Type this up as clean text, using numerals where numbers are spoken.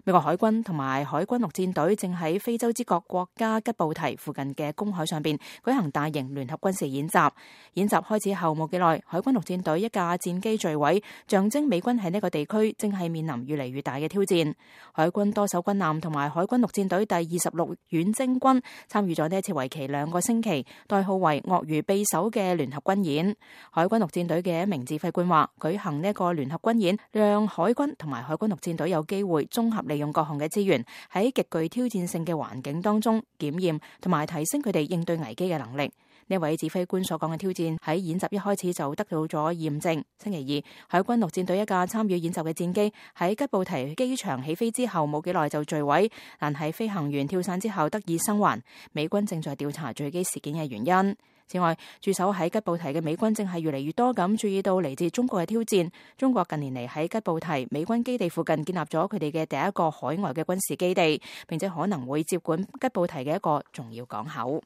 美國海軍同埋海軍陸戰隊正喺非洲之角國家吉布提附近嘅公海上邊舉行大型聯合軍事演習。演習開始後冇幾耐，海軍陸戰隊一架戰機墜毀，象徵美軍喺呢個地區正係面臨越嚟越大嘅挑戰。海軍多艘軍艦同埋海軍陸戰隊第26遠征軍參與咗呢一次為期2個星期，代號為鱷魚匕首嘅聯合軍演。海軍陸戰隊嘅一名指揮官話，舉行呢個聯合軍演，讓海軍同埋海軍陸戰隊有機會綜合利用各項嘅資源，喺極具挑戰性嘅環境當中檢驗同埋提升佢哋應對危機嘅能力。呢位指揮官所講嘅挑戰喺演習一開始就得到咗驗證。星期二，海軍陸戰隊一架參與演習嘅戰機喺吉布提機場起飛之後冇幾耐就墜毀，但係飛行員跳傘之後得以生還。美軍正在調查墜機事件嘅原因。此外，駐守喺吉布提嘅美軍正係越嚟越多咁注意到嚟自中國嘅挑戰。中國近年嚟喺吉布提美軍基地附近建立咗佢哋嘅第一個海外嘅軍事基地，並且可能會接管吉布提嘅一個重要港口。